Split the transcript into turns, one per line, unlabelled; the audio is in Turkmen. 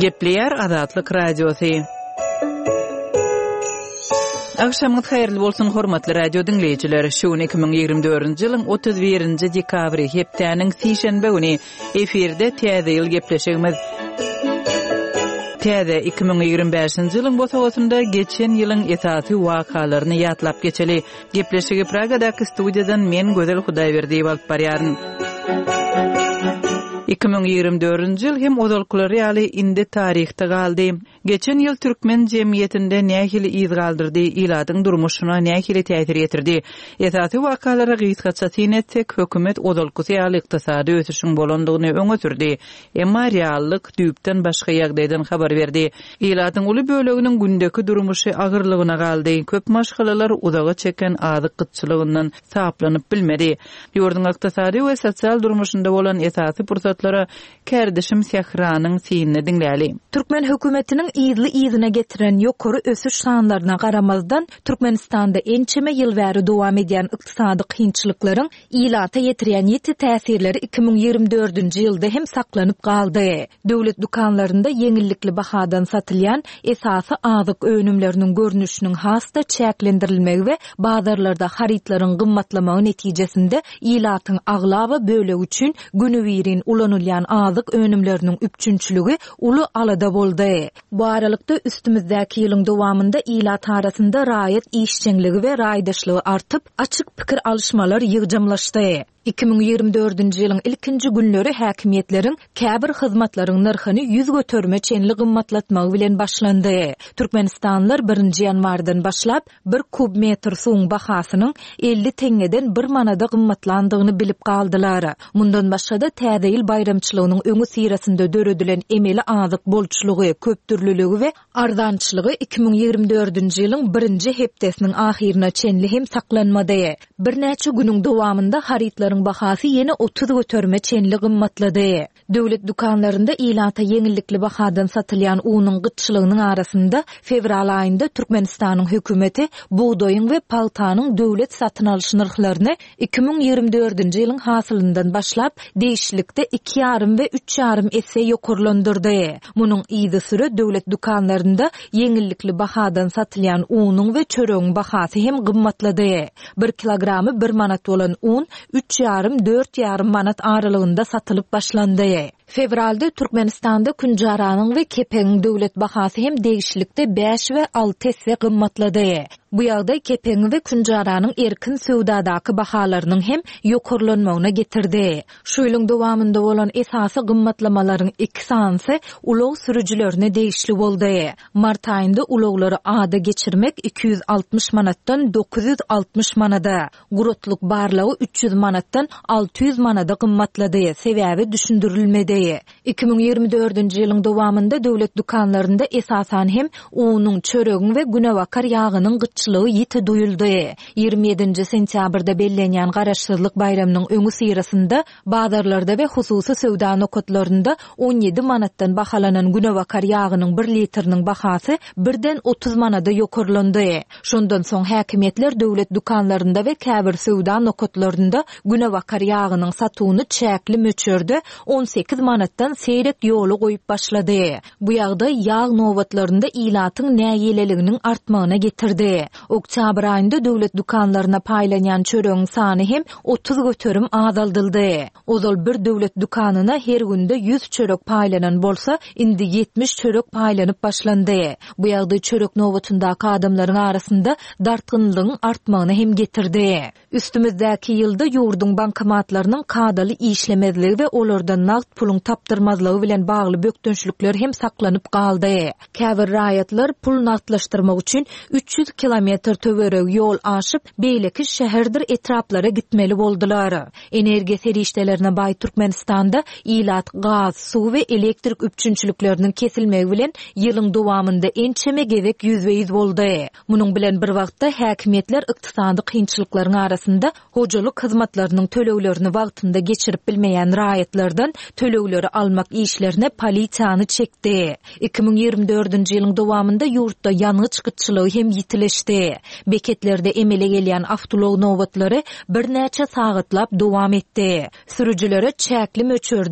Gepleýär Azatlyk Radiosy. Agşamyňyz haýyrly bolsun, hormatly radio diňleýjiler! Şu gün 2024-nji ýylyň 31-nji dekabry, hepdäniň sişenbe güni. Efirde Täze ýyl gepleşigimiz. Täze 2025-nji ýylyň bosagasynda geçen ýylyň esasy wakalaryny ýatlap geçeli. Gepleşigi Pragadaky studiýadan men Gözel Hudaýberdiýewa alyp barýaryn. 2024-nji ýyl hem ozalkylary ýaly indi taryhda galdy. Geçen ýyl türkmen jemgyýetinde nähili yz galdyrdy, ilatyň durmuşyna nähili täsir ýetirdi? Esasy wakalara gysgaça syn etsek, hökümet ozalkysy ýaly ykdysady ösüşiň bolandygyny öňe sürdi. Emma reallyk düýpden başga ýagdaýdan habar berdi. Ilatyň uly böleginiň gündeki durmuşy agyrlygyna galdy, köp maşgalalar uzaga çeken azyk gytçylygyndan saplanyp bilmedi. Ýurduň ykdysady we sosial durmuşynda bolan esasy pursatlara kärdeşim Sähranyň synyny diňläli.
Türkmen hökümetiniň yzly-yzyna getiren ýokary ösüş sanlaryna garamazdan, Türkmenistanda ençeme ýyl bäri dowam edýän ykdysady kynçylyklaryň Ilata ýetirýän ýiti täsirleri 2024-nji ýylda hem saklanyp galdy. Döwlet dükanlarynda ýeňillikli bahadan satylýan esasy azyk önümleriniň görnüşiniň has-da çäklendirilmegi we bazarlarda harytlaryň gymmatlamagy netijesinde ilatyň aglaba bölegi üçin günübirin ulanylýan azyk önümleriniň üpjünçiligi uly alada boldy. Bu aralykda, üstümizdäki ýylyň dowamynda ilat arasynda raýat işjeňligi we raýdaşlygy artyp, açyk pikir alyşmalar ýygjamlaşdy. 2024-nji ýylyň ilkinji günleri häkimiýetleriň käbir hyzmatlaryň nyrhyny ýüz göterime çenli gymmatlatmagy bilen başlandy. Türkmenistanlylar birinji ýanwardan başlap, bir kub metr suwuň bahasynyň 50 teňňeden bir manada gymmatlandygyny bilip galdylar. Mundan başga-da, Täze ýyl baýramçylygynyň öňüsyrasynda döredilen emeli azyk bolçulygy, köpdürlüligi we arzançylygy 2024-nji ýylyň birinji hepdesiniň ahyryna çenli hem saklanmady. Birnäçe günüň dowamynda harytlaryň bahasy ýene 30 göterime çenli gymmatlady. Döwlet dükanlarynda ilata ýeňillikli bahadan satylýan unuň gytçylygynyň arasynda, fewral aýynda Türkmenistanyň hökümeti bugdaýyň we pagtanyň döwlet satyn alyş nyrhlaryny 2024-nji ýylyň hasylyndan başlap, degişlilikde iki ýarym we üç ýarym esse ýokarlandyrdy. Munuň yzysüre döwlet dükanlarynda ýeňillikli bahadan satylýan unuň we çöregiň bahasy hem gymmatlady. Bir kilogramy bir manat bolan un üç ýarym, dört ýarym manat aralygynda satylyp başlandy. Fewralda Türkmenistanda künjaranyň we kepegiň döwlet bahasy hem degişlilikde bäş we alty esse gymmatlady. Bu ýagdaý kepegiň we künjaranyň erkin söwdadaky bahalarynyň hem ýokarlanmagyna getirdi. Şu ýylyň dowamynda bolan esasy gymmatlamalaryň iki sanysy ulag sürüjilerine degişli boldy. Mart aýynda ulaglary ada geçirmek 260 manatdan 960 manada, Guratlyk barlagy 300 manatdan 600 manada gymmatlady, sebäbi düşündirilmedi. 2024-nji ýylyň dowamynda döwlet dükanlarynda esasan hem unuň, çöregiň we günebakar ýagynyň gytçylygy ýiti duýuldy. 27-nji sentýabrda bellenýän Garaşsyzlyk baýramynyň öňüsyrasynda Bazarlarda we hususy söwda nokatlarynda 17 manatdan bahalanan günebakar ýagynyň bir litriniň bahasy birden 30 manada ýokarlandy. Şondan soň häkimiýetler döwlet dükanlarynda we käbir söwda nokatlarynda günebakar ýagynyň satuwyny çäkli möçberde 18 manatdan seýrek ýola goýup başlady. Bu ýagdaý ýag nobatlarynda ilatyň nägileliginiň artmagyna getirdi. Oktýabr aýynda döwlet dükanlaryna paýlanýan çöregiň sany hem 30% azaldyldy. Ozal bir döwlet dükanyna her günde 100 çörek paýlanan bolsa, indi 70 çörek paýlanyp başlandy. Bu ýagdaý çörek nobatyndaky adamlaryň arasynda dartgynlygyň artmagyna hem getirdi. Üstümizdäki ýylda ýurduň bankomatlarynyň kadaly işlemezligi we olardan nagt puluň tapdyrmazlygy bilen bagly bökdençlikler hem saklanyp galdy. Käbir raýatlar pul nagtlaşdyrmak üçin 300 kilometr töweregi ýol aşyp, beýleki şäherdir etraplara gitmeli boldular. Energiýa serişdelerine baý Türkmenistanda ilat gaz, suw we elektrik üpjünçilikleriniň kesilmegi bilen ýylyň dowamynda ençeme gezek ýüzbe-ýüz boldy. Munuň bilen bir wagtda, häkimiýetler ykdysady kynçylyklaryň arasynda hojalyk hyzmatlarynyň töleglerini wagtynda geçirip bilmeýän raýatlardan tölegleri almak işlerine polisiýany çekdi. 2024-nji ýylyň dowamynda ýurtda ýangyç gytçylygy hem ýitileşdi. Beketlerde emele gelýän awtoulag nobatlary birnäçe sagatlap dowam etdi. Sürüjilere çäkli möçberde.